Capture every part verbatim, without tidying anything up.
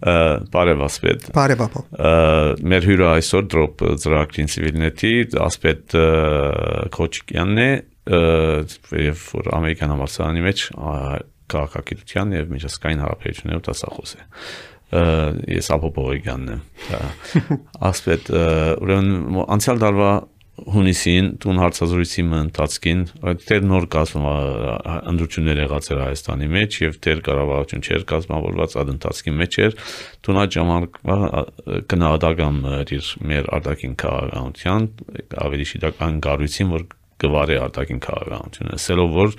Բարև ասպետ։ Բարև ապա։ Մեր հյուրը այսօր դրոպ ծրագրին Civilnet-ի ասպետ Քոչիկյանն է, եւ որ ամերիկյան համալսարանի մեջ քաղաքագիտության եւ միջազգային հարաբերություններով դասախոս է։ Ես Աբո Բողոյանն եմ։ Ասպետ, ուրեմն անցյալ տարվա հունիսին տուն հարցազրույցի ընթացքին դեռ նոր կազմա ընդրություններ եղած էր Հայաստանի մեջ եւ դեռ կառավարություն չէր կազմավորված այդ ընթացքի մեջ էր տուն այդ ժամանակվա գնահատական իր մեր արտաքին քաղաքականության ավելի շիտական գառույցին որ գվարի արտաքին քաղաքականությունը ասելով որ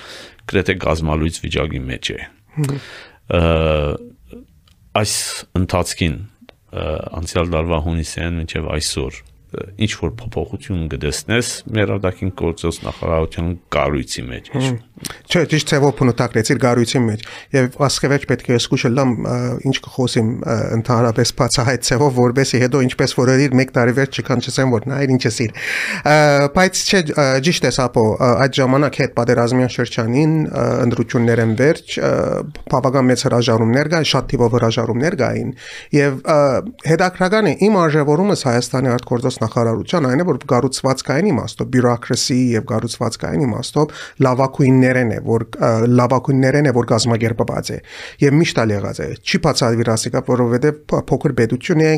գրեթե գազմալույց վիճակի մեջ է այս ընթացքին անցյալ տարվա հունիսին մինչեւ այսօր ինչ որ փոփոխություն կդեսնես մեր արտաքին գործոս նախարարության կառույցի մեջ չէ ճիշտ է որ փնուտակրեցիր կառույցի մեջ եւ ասկեվեջ պետք է սկսել լամ ինչ կխոսեմ ընդհանրապես բացահայտ ցեվով որբեսի հետո ինչպես որ իր մեկ տարի վերջ չկանչեմ որ նա ինչ էսիր բայց չէ ճիշտ է սապո այդ ժամանակ հետ պատերազմյան շրջանին ընդրություններ են վերջ բավական մեծ հրաժարումներ կային շատ թիվով հրաժարումներ կային եւ հետաքրական է իմ արժևորումս Հայաստանի արտգործոս նախարարության այն է որ կառուցվածքային իմաստով բյուրոկրասի եւ կառուցվածքային իմաստով լավակույններն է որ լավակույններն է որ կազմակերպված է եւ միշտ ալեղած է չի բացավիրասիկա որովհետեւ փոքր պետություն է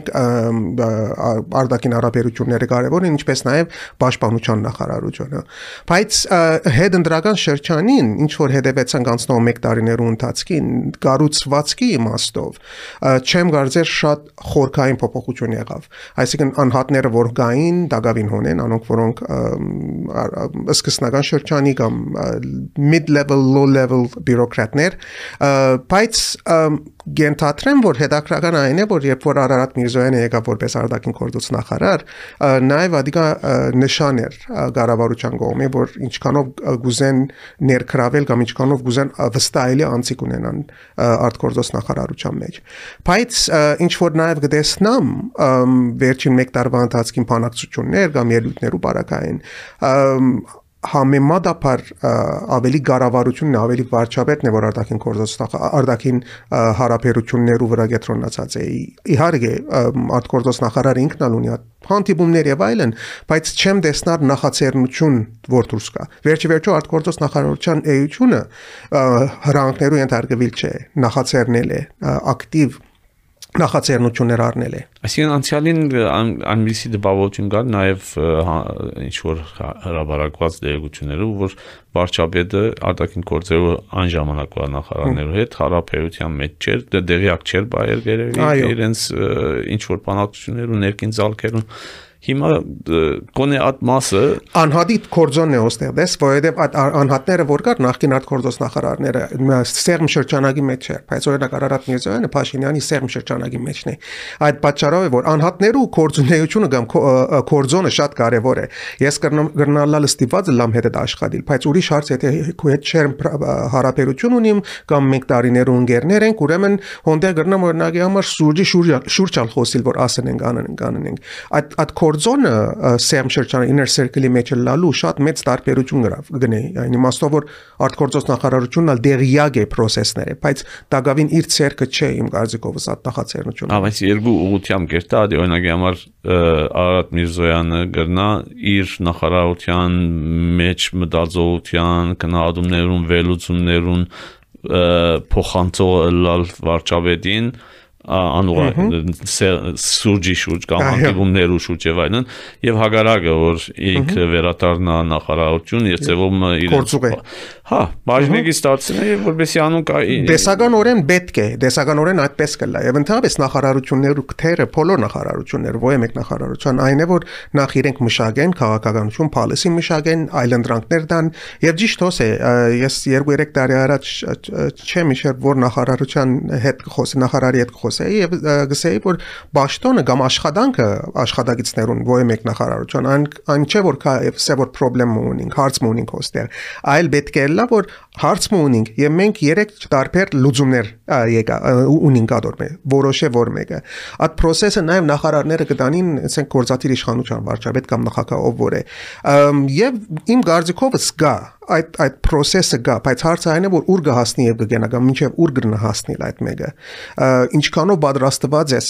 արտաքին հարաբերությունները կարեւոր են ինչպես նաեւ պաշտպանության նախարարությունը բայց հետընտրական շրջանին ինչ որ հետևեցանք անցնող մեկ տարիներու ընթացքին կառուցվածքի իմաստով չեմ կարծեր շատ խորքային փոփոխություն եղավ այսինքն անհատները որ գային դակավին հոնեն անոնք որոնք սկսնական շրջանի կամ mid level low level բյուրոկրատներ բայց գենթատրեմ որ հետաքրական այն է որ երբ որ Արարատ Միրզոյանը եկավ որպես արտաքին գործոս նախարար նաև ադիգա նշան էր կառավարության կողմի որ ինչքանով գուզեն ներքրավել կամ ինչքանով գուզեն վստահելի անցիկ ունենան արտգործոս նախարարության մեջ բայց ինչ որ նաև գտեսնամ վերջին մեկ տարվա ընթացքին բանակցություններ կամ ելույթներու բարակային համեմատաբար ավելի կառավարությունն ավելի վարչապետն է որ արտաքին գործոս արտաքին հարաբերություններու վրա կենտրոնացած է իհարկե արտգործոս նախարարը ինքն ալ ունի հանդիպումներ եւ այլն բայց չեմ տեսնար նախաձեռնություն որ դուրս կա վերջի վերջո արտգործոս նախարարության էությունը հրանքներու ենթարկվել չէ նախաձեռնել է ակտիվ նախաձեռնություններ առնել է այսինքն անցյալին անմիսի դպավորություն կար նաև ինչ որ հրաբարակված դերակցություններով որ վարչապետը արտաքին գործերով այն ժամանակվա նախարարներու հետ հարաբերության մեջ չէր դեղյակ չէր բայեր գերեւի իրենց ինչ որ բանակցություններ ու ներքին ցալքերուն հիմա կոնե այդ մասը անհատի կորձոնն է ոստեղ դες որովհետև այդ անհատները որ կար նախկին արտգործոս նախարարները սերմ շրջանագի մեջ էր բայց օրինակ Արարատ Միրզոյանը Փաշինյանի սերմ շրջանագի մեջն է այդ պատճառով է որ անհատներու կորձունեությունը կամ կորձոնը շատ կարևոր է ես կրնալալ ստիպված լամ հետ աշխատել բայց ուրիշ հարց եթե քո հետ շերմ հարաբերություն ունիմ կամ մեկ տարիներու ընկերներ ենք ուրեմն հոնդեր կրնամ օրինակի համար սուրճի շուրջալ խոսիլ որ ասեն անեն անեն այդ այդ կորձոնը սերմ շրջանի inner circle-ի մեջ լալու շատ մեծ տարբերություն գրավ գնե այն իմաստով որ արտգործոս նախարարությունն ալ դեղյակ է process-ները բայց դակավին իր ցերկը չէ իմ կարծիքով սա նախաձեռնությունը հա բայց երկու ուղղությամբ կերտա օրինակի համար Արարատ Միրզոյանը գրնա իր նախարարության մեջ մտածողության քննադումներուն վերլուծումներուն փոխանցող լալ վարչապետին անուղ սուրճի շուրջ կամ հանդիպումներու շուրջ եւ այլն եւ հագարակը որ ինքը վերադառնա նախարարություն եւ ծեվում իրենց հա բաժնեկի ստացին եւ որբեսի անուն դեսականորեն պետք է դեսականորեն այդպես կլա եւ ընդհանրապես նախարարություններու քթերը բոլոր նախարարությունները ո մեկ նախարարության այն է որ նախ իրենք մշակեն քաղաքականություն policy մշակեն այլընտրանքներ դան եւ ճիշտ հոս է ես երկու երեք տարի առաջ չեմ իշեր որ նախարարության հետ խոսի նախարարի հետ խոսի եւ գսեի որ ճաշտոնը կամ աշխատանքը աշխատագիտներուն ո մեկ նախարարության այն այն չէ որ կա սա որ խնդրեմ ունենք հարց ունենք հոստեր այլ պետք է լա որ հարց ունենք եւ մենք երեք տարբեր լուծումներ եկա ունենք ադորմե որոշե որ մեկը այդ process-ը նաեւ նախարարները կտանին ասենք գործադիր իշխանության վարչապետ կամ նախագահ ով որ է եւ իմ գարձիկովս գա այդ այդ process-ը գա, բայց հարցը այն է, որ ուր կհասնի եւ կգնա կամ մինչեւ ուր կգնա հասնել այդ մեկը։ Ինչքանով պատրաստված ես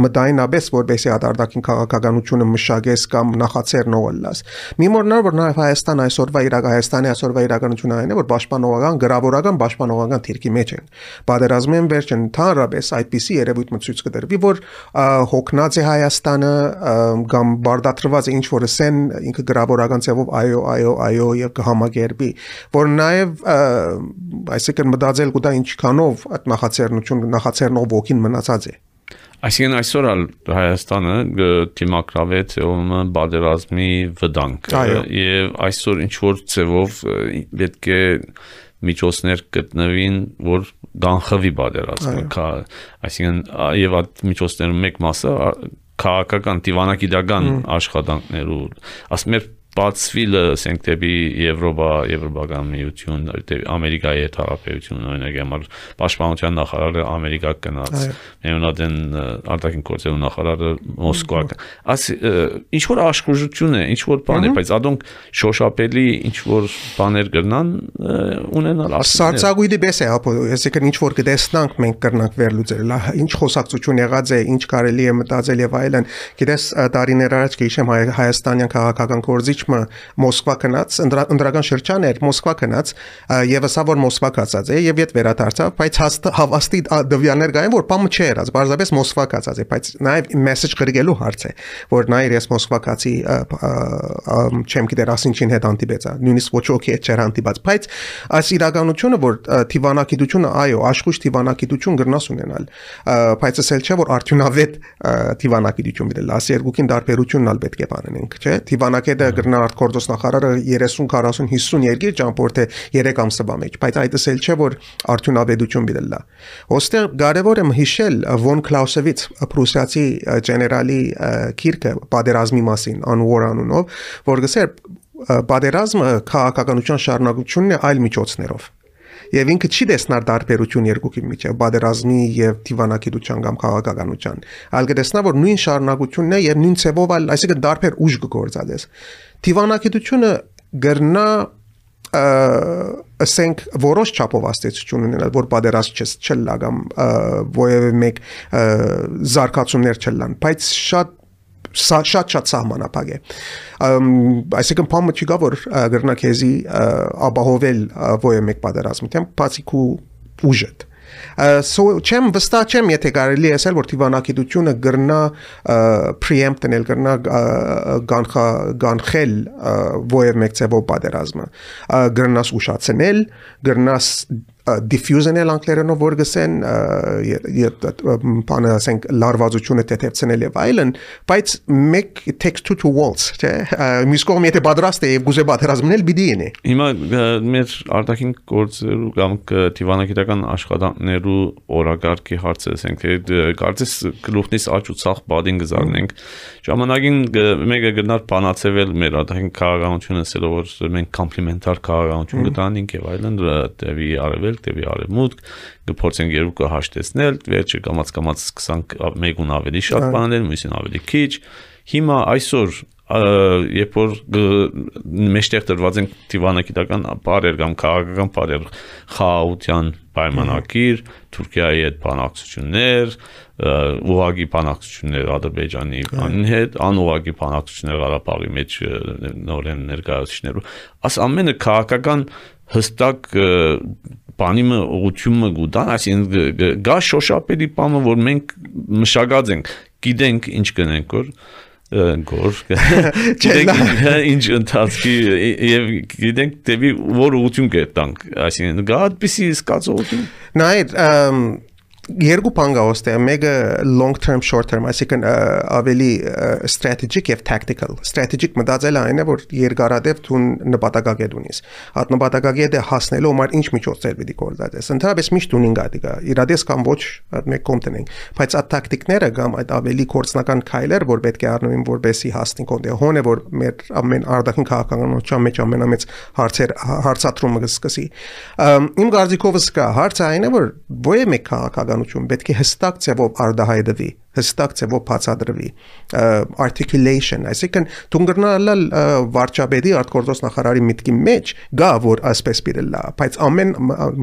մտայնաբես, որպեսզի արտարդակին քաղաքականությունը մշակես կամ նախաձեռնողլաս։ Մի մոռանալ, որ նաեւ Հայաստան այսօրվա իրակ Հայաստանի այսօրվա իրականությունը այն է, որ պաշտպանողական, գրավորական, պաշտպանողական թիրքի մեջ են։ Պատերազմին վերջ ընդհանրապես այդպիսի երևույթ ցույց կտրվի, որ հոգնած է Հայաստանը կամ բարդատրված է ինչ որ ասեն ինքը գրավորական ձևով այո, այո, այո եւ կհամագերբի, որ նաեւ այսինքն մտածել կուտա ինչքանով այդ նախաձեռնություն նախաձեռնող ոգին մնացած է։ Այսինքն այսօր Հայաստանը դիմակրավեց ում բادرազմի վտանգ եւ այսօր ինչ որ ձևով պետք է միջոցներ գտնվին, որ գանխվի բادرազմը, այսինքն եւ այդ միջոցներում մեկ մասը քաղաքական դիվանագիտական աշխատանքներու, ասում եմ բացվիլը ասենք դեպի Եվրոպա, Եվրոպական միություն, դեպի Ամերիկայի հետ հարաբերություն, օրինակ համար պաշտպանության նախարարը Ամերիկա գնաց, միոնադեն արտաքին գործերու նախարարը Մոսկվա։ Աս ինչ որ աշխուժություն է, ինչ որ բան է, բայց ադոնք շոշափելի ինչ որ բաներ կրնան ունենալ։ Սարսագույդի պես է, այսինքն ինչ որ կտեսնանք մենք կրնանք վերլուծել, ինչ խոսակցություն եղած է, ինչ կարելի է մտածել եւ այլն։ Գիտես տարիներ առաջ գիշեմ հայաստանյան քաղաքական գործիչ Մոսկվա գնաց, ընդրական շրջան էր, Մոսկվա գնաց եւ ասա որ Մոսկվա կացած է եւ իդ վերադարձավ, բայց հավաստի դվյաններ կային, որ բամը չէր, բարձրապես Մոսկվա կացած է, բայց նաեւ մեսեջ գրգելու հարց է, որ նայր ես Մոսկվա կացի չեմ գիտեր ասինչին հետ անտիբեցա, նույնիսկ ոչ ոքի հետ չէր անտիբած, բայց այս իրականությունը, որ դիվանագիտությունը, այո, աշխույժ դիվանագիտություն գրնաս ունենալ, բայց ասել չէ, որ արդյունավետ դիվանագիտություն դիտել, ասի երկուքին տարբերությունն ալ պետք է բանենք, չէ, դիվանագետը արտգործոս նախարարը երեսուն, քառասուն, հիսուն երկիր ճամփորդ է երեք ամսվա մեջ, բայց այդ ասել չէ, որ արդյունավետություն բիդելա։ Ոստեղ կարևոր է հիշել Վոն Կլաուսևից Պրուսիացի գեներալի քիրքը պատերազմի մասին անուոր անունով, որ գսեր պատերազմը քաղաքականության շարունակությունն է այլ միջոցներով։ Եվ ինքը չի տեսնար տարբերություն երկուքի միջև պատերազմի եւ դիվանագիտության կամ քաղաքականության, այլ կտեսնա, որ նույն շարունակությունն է եւ նույն ցեվով, այսինքն տարբեր ուժ կգործածես։ Դիվանագիտությունը գրնա ասենք որոշ չափով աստեցություն ունենալ, որ պատերազմ չլա կամ որևէ մեկ զարգացումներ չլան, բայց շատ շատ-շատ սահմանափակ է։ Այսինքն փամը չի գա, որ գրնա քեզի ապահովել որևէ մեկ պատերազմի դեմ, բացի քու ուժդ։ So չեմ վստահ չեմ, եթե կարելի է ասել, որ դիվանագիտությունը գրնա preempt անել, գրնա գանխել որևէ մեկ ձևով պատերազմը, գրնաս ուշացնել, գրնաս diffusion-ել անգլերենով որ գսեն բանը ասենք լարվածությունը թեթևցնել եւ այլն, բայց մեկ text to walls, չէ՞, մյուս կողմը եթե պատրաստ է եւ գուզե պատերազմնել պիտի ինի։ Հիմա մեր արտաքին գործերու կամ դիվանագիտական աշխատանքներու օրակարգի հարցը ասենք թե կարծես գլուխնից աճ ու ցախ բադին գզարնենք, ժամանակին մեկը գնար բանացվել մեր արտաքին քաղաքականությունը ասելով որ մենք կոմպլեմենտար քաղաքականություն գտանինք եւ այլն դեպի արևել դեպի արևմուտք կփորձենք երկու հաշտեցնել, վերջը կամաց-կամաց սկսանք մեկուն ավելի շատ բանել, մյուսին ավելի քիչ։ Հիմա այսօր երբ որ մեջտեղ դրված են դիվանագիտական բարեր կամ քաղաքական բարեր խաղաղության պայմանագիր, Թուրքիայի հետ բանակցություններ, ուղղակի բանակցություններ Ադրբեջանի հետ, անուղղակի բանակցություններ Ղարաբաղի մեջ նորեն ներկայացուցիչներով, աս ամենը քաղաքական հստակ բանիմը ուղղությունը գուտան, այսինքն գա շոշափելի բանը, որ մենք մշակած ենք, գիտենք ինչ կնենք, որ գոր գիտենք ինչ ընթացքի եւ գիտենք դեպի որ ուղղություն կետանք, այսինքն գա այդպիսի զգացողություն։ Նայր երկու բան կա ոստեղ, մեկը long term short term, այսինքն ավելի strategic եւ tactical։ Strategic մտածելը այն է, որ երկարատև դու նպատակակետ ունես։ Այդ նպատակակետը հասնելու համար ինչ միջոցներ պիտի գործածես։ Ընդհանրապես միշտ ունին գա, իրադես կամ ոչ, այդ մեկ կոմտնենք, բայց այդ տակտիկները կամ այդ ավելի կորցնական քայլեր, որ պետք է առնվին, որպեսզի հասնենք օդե հոն է, որ մեր ամեն արտաքին քաղաքականության մեջ ամենամեծ հարցեր հարցատրումը կսկսի։ Իմ կարծիքով սկա հարցը այն է, որ ո՞ե մեկ քաղաքական պետք է հստակ ձևով արդահայտվի հստակ ձևով բացատրվի articulation, այսինքն դունգրնալալ վարչապետի արտգործոց նախարարի միտքի մեջ գա որ այսպես պիտի բայց ամեն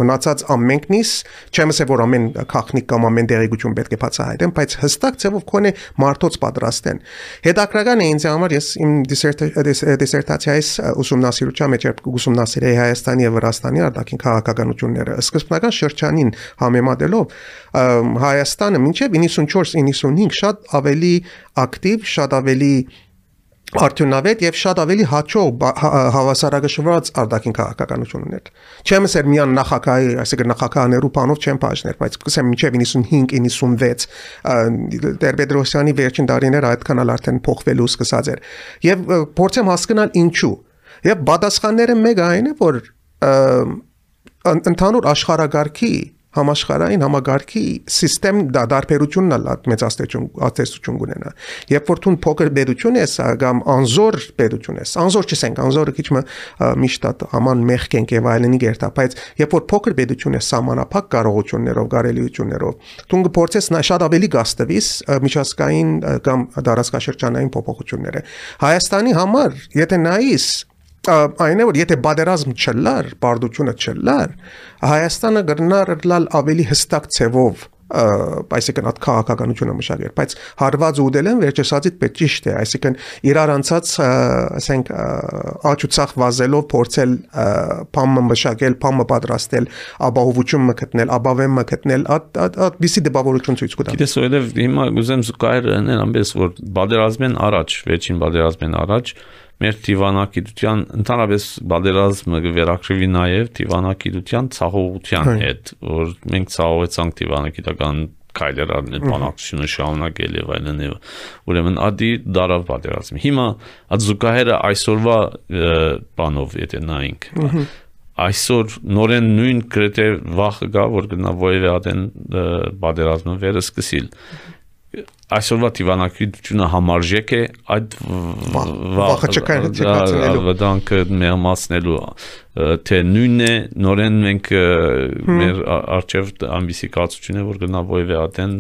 մնացած ամենքնից չեմ ասել որ ամեն քաղաքնիկ կամ ամեն դերեկություն պետք է բացահայտեն բայց հստակ ձևով կոնե մարդոց պատրաստեն հետաքրական է ինձ համար ես իմ դիսերտացիայից ուսումնասիրության մեջ ուսումնասիրեի Հայաստանի եւ Վրաստանի արտաքին քաղաքականությունները սկզբնական շրջանին համեմատելով Հայաստանը մինչև իննսունչորս իննսունհինգ շատ ավելի ակտիվ շատ ավելի արդյունավետ եւ շատ ավելի հաջող հավասարակշռված արտաքին քաղաքականություն ուներ։ Չեմ ասել միան նախագահի, այսինքն նախագահաներու բանով չեմ բաժներ, բայց կսեմ մինչև իննսունհինգ իննսունվեց Տեր-Պետրոսյանի վերջին տարիները այդքան արդեն փոխվելու սկսած էր։ Եվ փորձեմ հասկանալ ինչու։ Եվ պատասխանները մեկը այն է, որ ընդհանուր աշխարհակարգի համաշխարհային համագարկի սիստեմ դարբերությունն ալ մեծաստեցություն ատեստություն ունենա երբ որ դու փոքր բերություն ես կամ անզոր բերություն ես անզոր չենք անզորը քիչ միշտ աման մեղքենք եւ այլնի գերտա բայց երբ որ փոքր բերություն ես սահմանափակ կարողություններով կարելիություններով դու կփորձես շատ ավելի գաստվիս միջազգային կամ դարաշրջանային փոփոխությունները Հայաստանի համար եթե նայես այն է որ եթե բادرազմ չլար, բարդությունը չլար, Հայաստանը գրնար լալ ավելի հստակ ցևով, այսինքն այդ քաղաքականությունը մշակել, բայց հարված ուդել են վերջեսածից պետք ճիշտ է, այսինքն իրար անցած, ասենք աճուցախ վազելով փորձել փամը մշակել, փամը պատրաստել, ապահովություն մգտնել, ապավեմ մգտնել, այդ բիսի դեպավորություն ցույց կտա։ Գիտես օրերով հիմա ուզեմ զուգահեռ անել ամենից որ բادرազմեն առաջ, վերջին բادرազմեն առաջ մեր դիվանագիտության ընդհանրապես բادرազմը վերակրվի նաև դիվանագիտության ցաղողության հետ, որ մենք ցաղողեցանք դիվանագիտական քայլեր արնել, բանակցությունը շարունակել եւ այլն եւ ուրեմն ադի դարավ բادرազմը։ Հիմա այդ զուգահեռը այսօրվա բանով եթե նայենք, այսօր նորեն նույն գրեթե վախը գա, որ գնա որևէ ադեն բادرազմը վերը սկսիլ։ Այսօրվա դիվանագիտությունը համարժեք է այդ վտանգը մեղմացնելու թե նույնն է նորեն մենք մեր արժև ամբիսի կացություն է որ գնա որևէ ադեն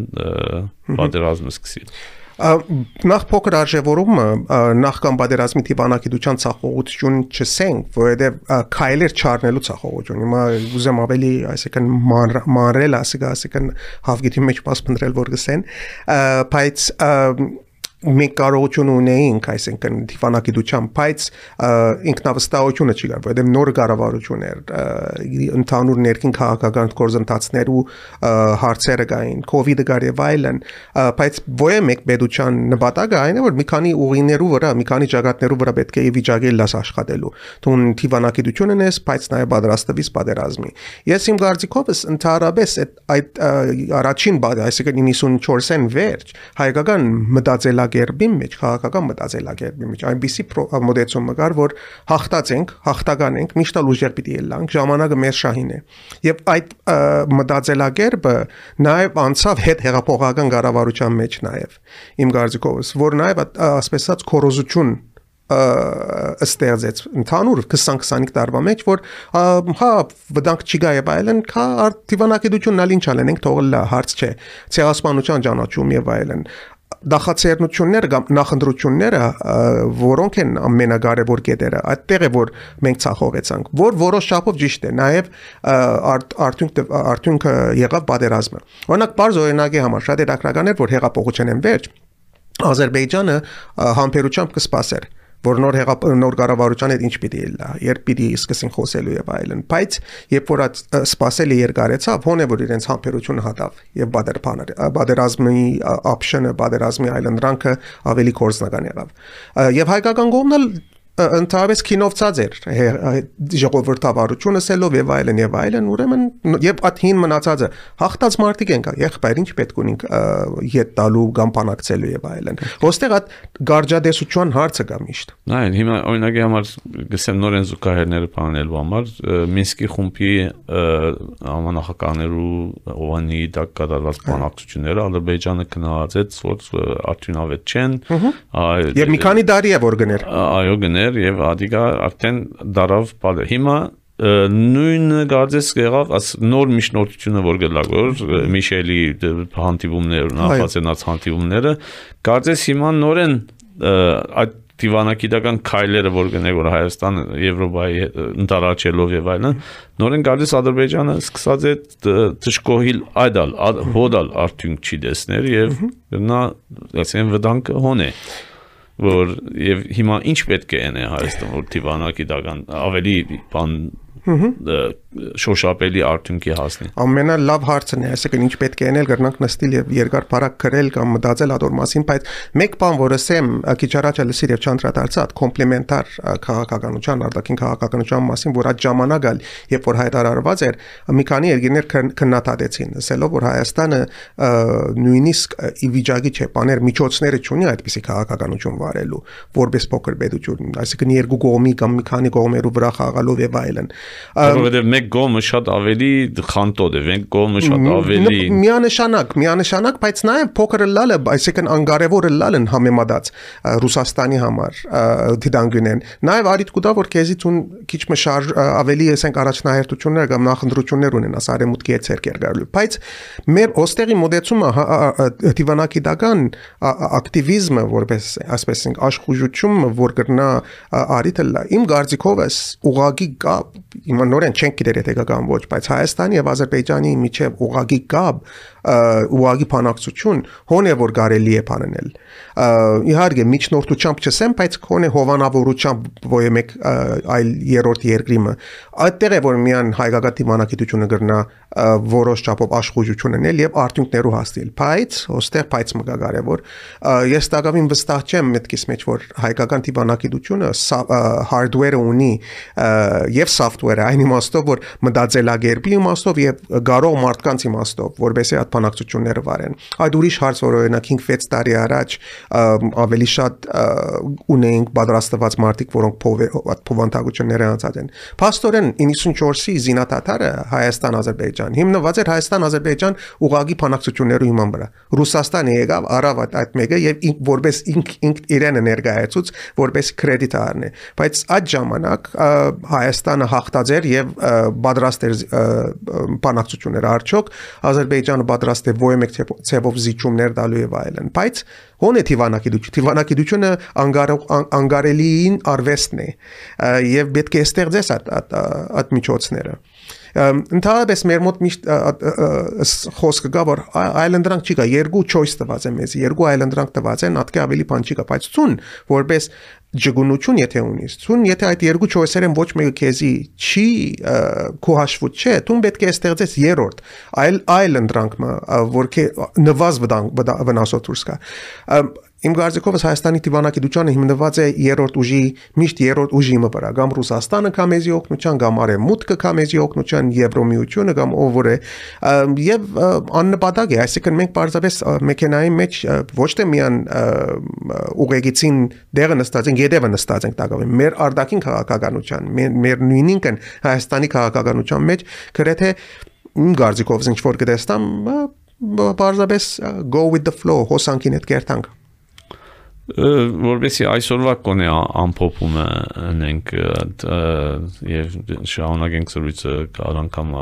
բادرազմը սկսիլ Նախ փոքր արժևորումը նախքան բادرազմի դիվանագիտության ցախողություն չսենք, որովհետև քայլեր չառնելու ցախողություն։ Հիմա ուզեմ ավելի, այսինքն մանրել, ասիկան հավգիտի մեջ մաս փնտրել որ գսեն, բայց մենք կարողություն ունեինք, այսինքն դիվանագիտության, բայց ինքնավստահությունը չկար, որովհետև նոր կառավարություն էր, ընդհանուր ներքին քաղաքական գործընթացներու հարցերը կային, կոവിഡ് գար եւ այլն, բայց ո՞ե մեկ պետության նպատակը այն է, որ մի քանի ուղիներու վրա, մի քանի ճակատներու վրա պետք է վիճակել լաս աշխատելու։ Դու դիվանագիտություն ունես, բայց նաեւ պատրաստվես պատերազմի։ Ես իմ կարծիքովս ընդհանրապես այդ առաջին բադ, այսինքն իննսունչորսեն վերջ հայկական մտածելակ Գերբի մեջ քաղաքական մտածելակերպի մեջ այնպիսի մոդեցումը կար որ հաղթացենք, հաղթական ենք, միշտ ուժեր պիտի ելանք, ժամանակը մեր շահին է։ Եվ այդ մտածելակերպը նաև անցավ հետ հեղափոխական կառավարության մեջ նաև իմ կարծիքովս, որ նաև ասես ասած կորոզություն ստեղծեց ընդհանուր քսան քսանհինգ տարվա մեջ որ հա վտանգ չկա եւ այլն կա դիվանագիտությունն ալ ինչ անենք թողել հարց չէ ցեղասպանության ճանաչում եւ այլն Նախաձեռնությունները կամ նախընտրությունները որոնք են ամենակարևոր կետերը այդտեղ է որ մենք ցախողեցանք որ որոշ չափով ճիշտ է նաև արդյունք արդյունքը եղավ պատերազմը օրինակ բարձ օրինակի համար շատ հետաքրքրական էր որ հեղափոխության վերջ Ադրբեջանը համբերությամբ կսպասեր որ նոր նոր կառավարության հետ ինչ պիտի լա, երբ պիտի սկսեն խոսելու եւ այլն, բայց երբ որ սպասելի երկարեցավ, հոն է որ իրենց համբերությունը հատավ եւ բادرազմի option-ը, բادرազմի այլն ռանքը ավելի կորզնական եղավ։ Եվ հայկական կողմն ընդհանրապես քինովցած էր ժողովրդավարությունը սելով եւ այլն եւ այլն ուրեմն եւ աթին մնացածը հաղթած մարդիկ են կա եղբայր ինչ պետք ունենք յետ տալու կամ բանակցելու եւ այլն ոստեղ այդ գարջադեսության հարցը կա միշտ նայ հիմա օրինակի համար գսեմ նորեն զուգահեռները բանելու համար Մինսկի խումբի համանախագահներու Օվանի դակ կատարված բանակցությունները Ադրբեջանը գնահատեց որ արդյունավետ չեն եւ մի քանի տարի է որ գներ այո գներ եւ ադիգա արդեն դարավ բալը հիմա նույնը կարծես եղավ աս նոր միջնորդությունը որ գլակ որ Միշելի հանդիպումներ նախաձեռնած հանդիպումները կարծես հիմա նորեն այդ դիվանագիտական քայլերը որ գնե որ Հայաստանը Եվրոպայի ընդառաջելով եւ այլն նորեն կարծես Ադրբեջանը սկսած է դժկոհիլ այդալ հոդալ արդյունք չի տեսներ եւ նա ասեն վտանգը հոն է որ եւ հիմա ինչ պետք է անե Հայաստան որ դիվանագիտական ավելի բան շոշափելի արդյունքի հասնի։ Ամենալավ հարցն է, այսինքն ինչ պետք է անել գրնանք նստել եւ երկար բարակ գրել կամ մտածել ադոր մասին, բայց մեկ բան որ ասեմ, քիչ առաջ լսիր եւ չանդրադարձած կոմպլեմենտար քաղաքականության, արտաքին քաղաքականության մասին, որ այդ ժամանակ ալ, երբ որ հայտարարված էր, մի քանի երկրներ քննադատեցին, ասելով որ Հայաստանը նույնիսկ ի վիճակի չէ, բաներ միջոցները չունի այդպիսի քաղաքականություն վարելու, որպես փոքր պետություն, այսինքն երկու կողմի կամ մի քանի կողմերու վրա խաղալով եւ այլն Որովհետև մեկ գոմը շատ ավելի խանտոտ է, մեկ գոմը շատ ավելի միանշանակ, միանշանակ, բայց նաև փոքր լալը, այսինքն անկարևոր լալն համեմատած Ռուսաստանի համար դիտանգունեն։ Նաև արիտ կուտա որ քեզի ցուն քիչ մը շարժ ավելի ասենք առաջնահերթություններ կամ նախընտրություններ ունենաս արեմուտքի հետ ցերկեր գալու։ Բայց մեր ոստերի մոդեցումը դիվանագիտական ակտիվիզմը որպես ասպես ենք աշխուժությունը որ կրնա արիտը լա իմ գարձիկով էս ուղագի կապ Իմ նորեն չենք գիտեր եթե կգան ոչ, բայց Հայաստանի եւ Ադրբեջանի միջև ուղագի կապ, ուղագի բանակցություն հոն է որ կարելի է բանել։ Իհարկե միջնորդությամբ չսեմ, բայց հոն է հովանավորությամբ ոյ մեկ այլ երրորդ երկրիմը։ Այդտեղ է որ միան հայկական դիվանագիտությունը գրնա որոշ չափով աշխուժություն անել եւ արդյունքներու հասնել։ Բայց ոստեղ բայց մգա կարևոր ես տակավին վստահ չեմ մտքիս մեջ որ հայկական դիվանագիտությունը hardware-ը ունի եւ software-ը այն իմաստով որ մտածելակերպի իմաստով եւ գարող մարդկանց իմաստով որովհետեւ այդ բանակցությունները վարեն այդ ուրիշ հարց որ օրինակ հինգ-վեց տարի առաջ ավելի շատ ունենք պատրաստված մարդիկ որոնք փոխանցությունները անցած են Փաստորեն իննսունչորսի զինադատարը Հայաստան Ադրբեջան հիմնված էր Հայաստան Ադրբեջան ուղագի բանակցություններու հիման վրա Ռուսաստանը եկավ արավ այդ մեկը եւ որպես ինք ինք իրենը ներկայացուց որպես կրեդիտ առնի բայց այդ ժամանակ Հայաստանը հաղթած էր եւ պատրաստ էր բանակցություններ արդյոք Ադրբեջանը պատրաստ է ոյ մեկ ցեվով զիջումներ տալու եւ այլն բայց հոն է դիվանագիտություն դիվանագիտությունը անգարելին արվեստն է եւ պետք է ստեղծես այդ այդ միջոցները Ընդհանրապես մեր մոտ միշտ խոսքը գա որ այլանդրանք չի գա երկու choice տված է մեզ երկու այլանդրանք տված են ատկե ավելի բան չի գա բայց ցուն որպես ջգունություն եթե ունիս ցուն եթե այդ երկու choice-երը ոչ մեկը քեզի չի քո հաշվուց չէ ցուն պետք է ստեղծես երրորդ այլ այլանդրանքը որ նվազ վնասոտ դուրս գա Իմ գարձիկովս Հայաստանի դիվանագիտությունը հիմնված է երրորդ ուժի միշտ երրորդ ուժի վրա կամ Ռուսաստանը կամեզի օգնության կամ Արևմուտքը կամեզի օգնության Եվրոմիությունը կամ ով որ է եւ աննպատակ է այսինքն մենք պարզապես մեքենայի մեջ ոչ թե միան ուղեգիցին դերը նստած ենք յետևը նստած ենք տակավին մեր արտաքին քաղաքականության մեր նույնինքն Հայաստանի քաղաքականության մեջ գրեթե իմ գարձիկովս ինչ որ կտեսնամ պարզապես go with the flow հոսանքին հետ կերտանք որովհետեւ այսօրվա կոնե ամփոփումը ունենք եւ շարունակենք զրույցը կարող անգամ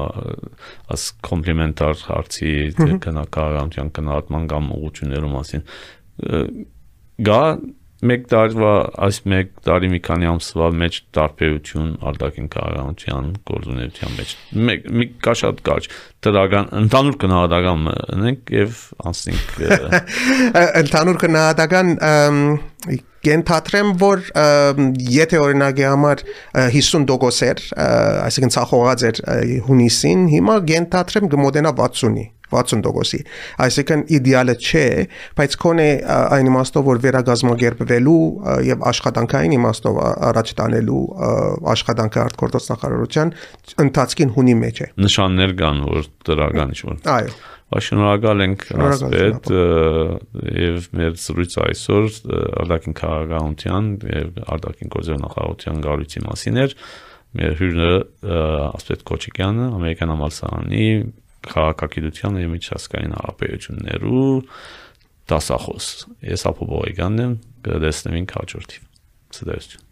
աս կոմպլեմենտար հարցի քննարկման քննարկման կամ ուղղություններու մասին գա մեկ տարվա այս մեկ տարի մի քանի ամսվա մեջ տարբերություն արտաքին քաղաքականության գործունեության մեջ մեկ մի կա շատ կարճ դրական ընդհանուր քննադատական ունենք եւ անցնենք ընդհանուր քննադատական կենթադրեմ որ եթե օրինակի համար հիսուն տոկոս էր այսինքն ցախողած էր հունիսին հիմա կենթադրեմ գմոդենա վաթսունի վաթսուն տոկոսի այսինքն իդեալը չէ բայց քոնե այն իմաստով որ վերագազմագերբվելու եւ աշխատանքային իմաստով առաջ տանելու աշխատանքը արտգործոց նախարարության ընթացքին հունի մեջ է նշաններ կան որ դրական ինչ որ այո Շնորհակալ ենք ասպետ եւ մեր զրույցը այսօր արտաքին քաղաքականության եւ արտաքին գործերի նախարարության գարույցի մասին էր մեր հյուրը ասպետ Քոչիկյանը ամերիկյան համալսարանի քաղաքագիտության եւ միջազգային հարաբերություններու դասախոս ես ապոբոյգանն եմ կդեսնենք հաջորդի Սդերություն